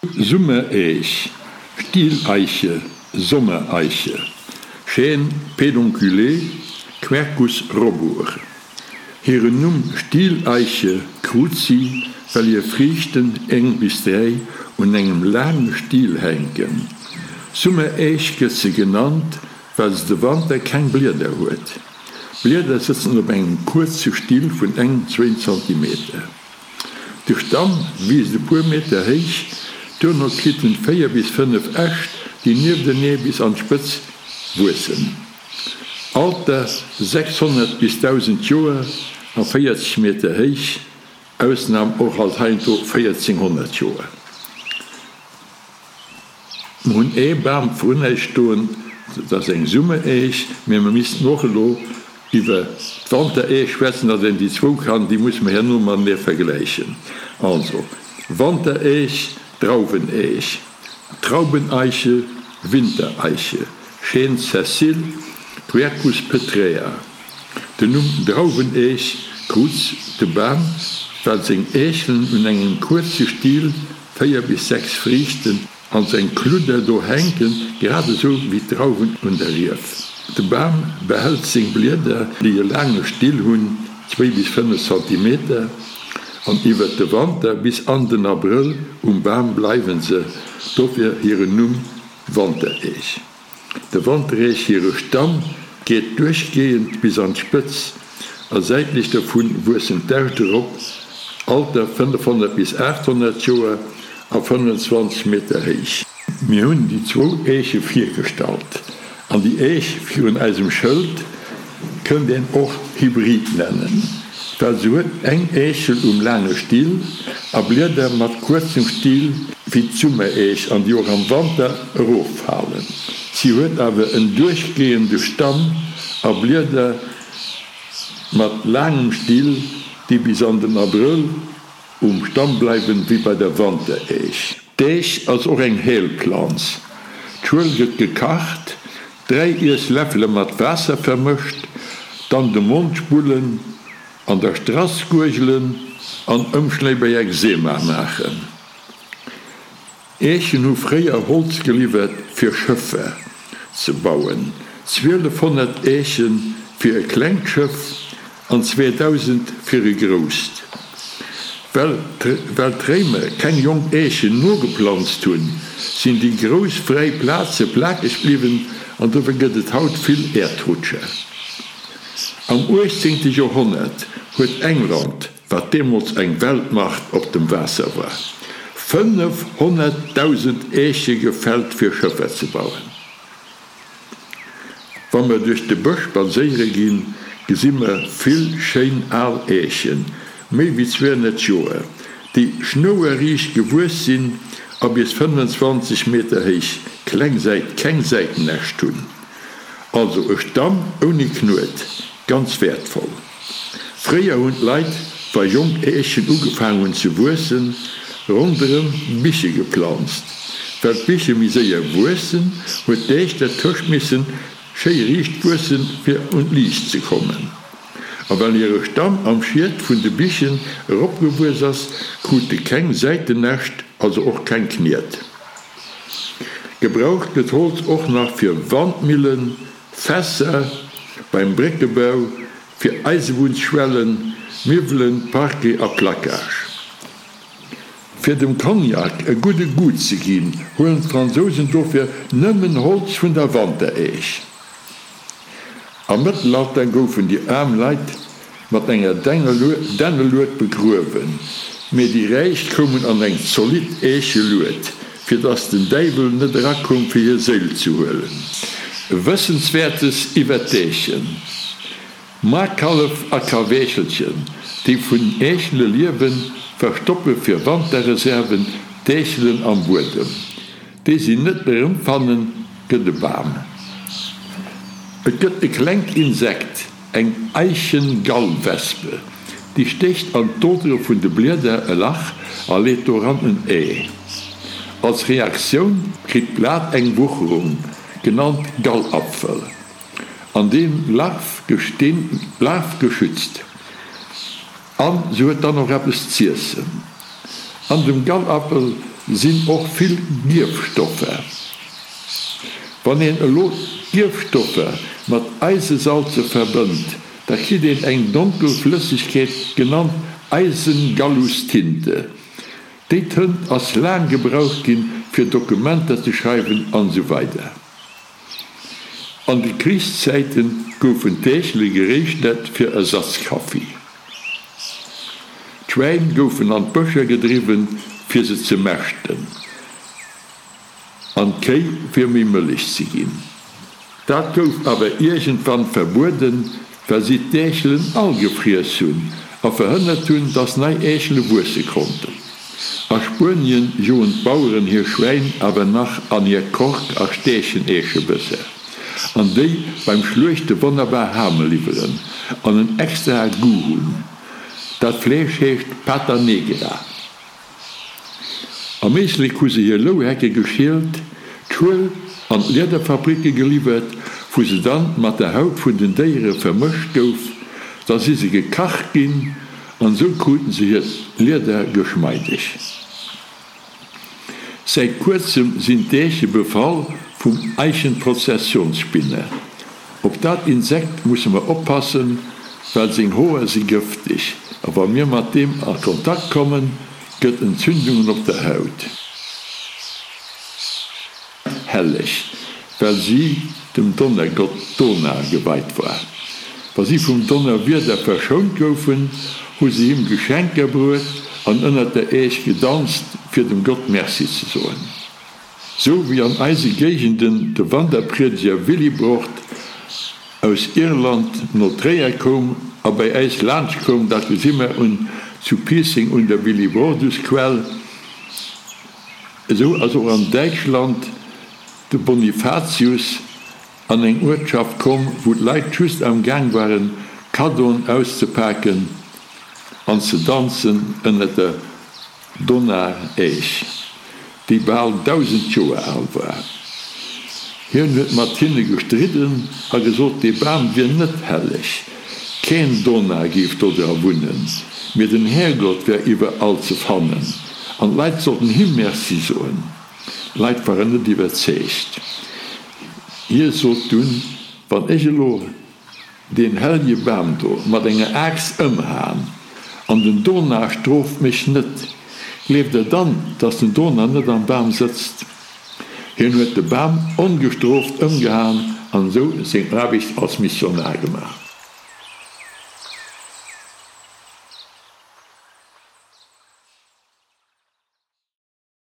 Summereech, Stieleiche, Sommereiche, Chêne pédonculé, Quercus robur. Hiren Numm Stieleiche krut si, well hir Friichten, eng bis 3, un engem laange Stiel hänken. Summereech gëtt se genannt, well se de Wanter keng Blieder huet. D'Blieder sëtzen op engem kuerze Still vun engem, zwéin Zantimeter. De Stamm wiisst e puer Meter héich, duerno kritt en 4 bis 5 Äscht, déi nieftenee bis an d'Spëtz wuessen. Alter, 600 bis 1000 Joer a 40 Meter héich, Ausnam och alt heiansdo 1400 Joer. Mer hunn ee Bam vrun äis stoen, dat ass eng Summereech, mä mer missten och elo iwwer d'Wantereech schwätzen, datt een déi zwou kann, déi musse mer herno matenee vergläichen. Also, Wantereech, Drauweneech, Traubeneiche, Wintereiche, Chêne sessile, Quercus petraea. Den Numm Drauweneech krut de Bam, well seng Äechelen un engem kuerze Still 4 bis 6 Friichten an seng Kludder do hänken, grad esou wéi d'Drauwen un der Rief. De Bam behält seng Blieder, déi e laange Still hunn, zwéi bis 5 Zentimeter, an iwwert de Wanter bis an den Abrëll um Bam bleiwen se, dofir hiren Numm Wantereech. De Wantereech hire Stamm geet duerchgehend bis an d'Spëtz a säitlech dovun wuessen d'Äscht erop, Alter 500 bis 800 Joer a 25 Meter héich. Mir hunn déi zwou Eeche virgestallt an déi Eech virun eisem Schëld kënnt een och Hybrid nennen, well se huet eng Eechel um laange Still a Blieder mat kuerzem Still wéi d'Summereech an déi och am Wanter eroffalen. Si huet awer en duerchgehende Stamm a Blieder mat laangem Still, déi bis an den Abrëll um Stamm bleiwen, wéi bei der Wantereech. D'Eech ass och eng Heelplanz. D'Schuel gëtt gekacht, 3 Iessläffele mat Waasser vermëscht, dann de Mond spullen, an der Strass guergelen an Ëmschléi bei Ekzema maachen. Eechen hu fréier Holz geliwwert fir Schëffer ze bauen, 1200 Eeche fir e klengt Schëff an 2000 fir e grousst. Well well d'Réimer keng jonk Eechen nogeplanzt hunn, sinn déi grouss fräi Plaze plakeg bliwwen an dofir gëtt et haut vill Äerdrutscher. Am 18. Joerhonnert huet England, wat deemools eng Weltmacht op dem Waasser war, 500.000 Eeche gefällt fir Schëffer ze bauen. Wa mer duerch de Bësch spadséiere ginn, gesi mer vill schéin al Äechen, méi wéi 200 Joer, déi schnouerriicht gewuess sinn a bis 25 Meter héich kleng Säit keng Säitenäscht hunn. Also e Stamm ouni Knuet, ganz wäertvoll. Fréier hunn d'Leit, wa jonk Äechen ugefaang hunn ze wuessen, ronderëm Biche geplanzt. Well d'Biche méi séier wuessen, huet d'Äech dertëscht missen schéi riicht wuessen, fir un d'Liicht ze kommen. A well hire Stamm am Schiet vun de Bichen eropgewuess ass, krut e keng Säitenäscht, also och keng Kniet. Gebraucht gëtt Holz och nach fir Wandmillen, Fässer beim Bréckebau, fir Eisebunnsschwellen, Miwwelen, Parquet a Placage. Fir dem Cognac e gudde Goût ze ginn, huelen d'Fransousen dofir nëmmen Holz vun der Wantereech. Am Mëttelalter goufen déi aarm Leit mat enger Dännelued begruewen, mee déi Räich koumen an eng zolidd Eechelued, fir dass den Däiwel net erakoum fir hir Séil ze huelen. Wëssenswäertes iwwer d'Eechen. Maarkallef a Kaweechelchen, déi vun Eechele liewen, verstoppe fir Wanterreserven d'Eechelen am Buedem. Déi si net erëmfannen, gëtt e Bam. Et gëtt e klengt Insekt, Eng Eichengallwespe, déi stécht an d'Odere vun de Blieder e Lach a leet doran en Ee. Als Reaktioun kritt d'Blat eng Wucherung, genannt Gallapfel, an deem d'Larv geschützt. An se huet dann och eppes z'iessen. An dem Gallapfel. sinn och vill Gierfstoffer. Wann een elo d'Gierfstoffer mat Eisesalze verbënnt, da kritt een eng donkel Flëssegkeet, genannt Eisengallustinte. Déi Tënt ass laang gebraucht ginn, fir Dokumenter ze schreiwen an esou weider. An de Krichszäite goufen d'Äechele geréischtert fir Ersatzkaffi. D'Schwäin goufen an d'Bëscher gedriwwen, fir se ze mäschten, an d'Kéi fir méi Mëllech ze ginn. Dat gouf awer iergendwann verbueden, well si d'Äechelen all gefriess hunn a verhënnert hunn, dass nei Äechele wuesse konnten. A Spuenien joen d'Baueren hir Schwäin awer nach an hir Kork a Stächen-Äeschebësser, an déi beim Schluechte wonnerbar Hame liwweren an en extrae Goût hunn. Dat Fleesch heescht Pata Negra. Am Éislek hu se hir Louhecke geschielt, d'Schuel an d'Liederfabricke geliwwert, wou se dann mat der Haut vun den Déiere vermëscht gouf. Da si se gekacht ginn an esou kruten se hiert Lieder geschmeideg. Säit kuerzem sinn d'Äeche befall vum Eichenprozessionsspinner. Op dat Insekt musse mer oppassen, well seng Hoer si gëfteg a wa mir mat deem a Kontakt kommen, gëtt Entzündungen op der Haut. Helleg, well si dem Donnergott Donar geweit war. Wa si vum Donnerwieder verschount goufen, hu si him Geschenker bruet an ënnert der Äech gedanzt, fir dem Gott Merci ze soen. Sou wéi an eise Géigenden de Wanderpriedeger Willibrord aus Irland no Tréier koum a bei äis laanscht koum, dat gesi mer un zu Piisseng un der Willibrordusquell, esou ass och an Däitschland de Bonifatius an eng Uertschaft komm, wou d'Leit just am Gaang waren Kaddoen auszepaken an ze danzen ënnert der Donar-Äech, déi bal 1.000 Joer al war. Hien huet mat hinne gestridden a gesot, dee Bam wier net helleg, keen Donar géif dodra wunnen, mee den Härgott wär iwwerall ze fannen an d'Leit sollten him Merci soen. D'Leit waren net iwwerzeegt. Hie sot dunn, Wann ech elo deen hellje Bam do mat enger Aaxt ëmhaen, an den Donar strooft mech net, gleeft der dann, dass den Donar net am Bam sëtzt? Hien huet de Bam ongestrooft ëmgehaen an esou seng Aarbecht als Missionar gemaach.